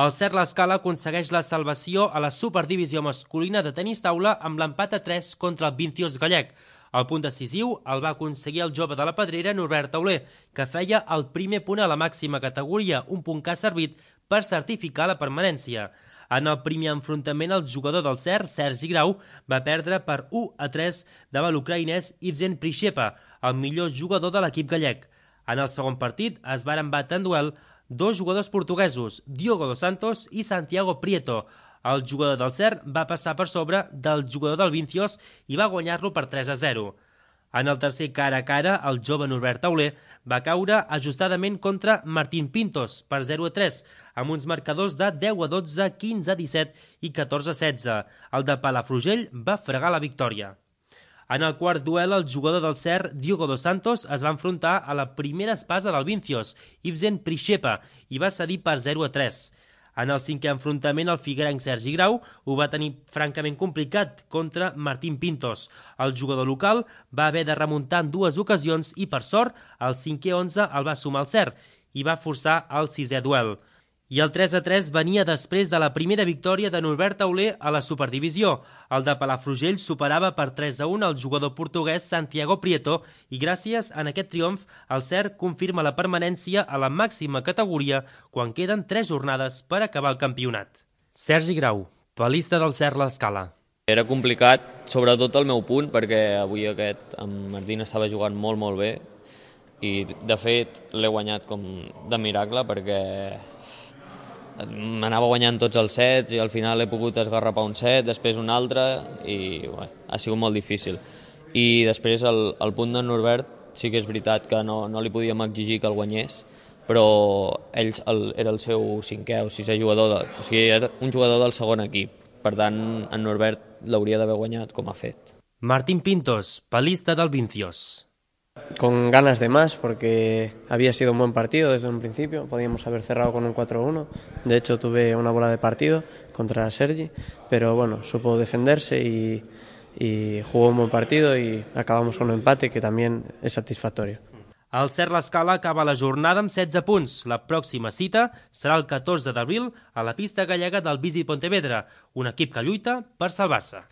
El Cert L'Escala aconsegueix la salvació a la superdivisió masculina de tenis taula amb l'empat a 3 contra el Vinciós gallec. El punt decisiu el va aconseguir el jove de la Pedrera, Norbert Tauler, que feia el primer punt a la màxima categoria, un punt que ha servit per certificar la permanència. En el primer enfrontament, el jugador del Cert, Sergi Grau, va perdre per 1-3 davant l'ucraïnès Ivzen Prishepa, el millor jugador de l'equip gallec. En el segon partit es varen batre en duel dos jugadors portuguesos, Diogo dos Santos i Santiago Prieto. El jugador del Cert va passar per sobre del jugador del Vinciós i va guanyar-lo per 3-0. En el tercer cara a cara, el jove Norbert Tauler va caure ajustadament contra Martín Pintos per 0-3, amb uns marcadors de 10-12, 15-17 i 14-16. El de Palafrugell va fregar la victòria. En el quart duel, el jugador del Cert, Diogo dos Santos, es va enfrontar a la primera espasa del Vinciós, Ivzen Prishepa, i va cedir per 0-3. En el cinquè enfrontament, el figuerenc Sergi Grau ho va tenir francament complicat contra Martín Pintos. El jugador local va haver de remuntar en dues ocasions i, per sort, el 5-11 el va sumar el Cert i va forçar el sisè duel. I el 3-3 venia després de la primera victòria de Norbert Tauler a la superdivisió. El de Palafrugell superava per 3-1 el jugador portuguès Santiago Prieto i gràcies a aquest triomf el Cert confirma la permanència a la màxima categoria quan queden 3 jornades per acabar el campionat. Sergi Grau, palista del Cert L'Escala. Era complicat, sobretot el meu punt, perquè avui en Martín estava jugant molt bé i de fet l'he guanyat com de miracle perquè m'anava guanyant tots els sets i al final he pogut esgarrapar un set, després un altre i ha sigut molt difícil. I després el punt de Norbert sí que és veritat que no li podíem exigir que el guanyés, però ell era el seu cinquè o sisè jugador, o sigui, era un jugador del segon equip. Per tant, en Norbert l'hauria d'haver guanyat com ha fet. Martín Pintos, palista del Vinciós. Con ganas de más porque había sido un buen partido desde un principio, podíamos haber cerrado con un 4-1, de hecho tuve una bola de partido contra Sergi, pero bueno, supo defenderse y jugó un buen partido y acabamos con un empate que también es satisfactorio. El Cert L'Escala acaba la jornada amb 16 punts. La pròxima cita serà el 14 d'abril a la pista gallega del Visi Pontevedra, un equip que lluita per salvar-se.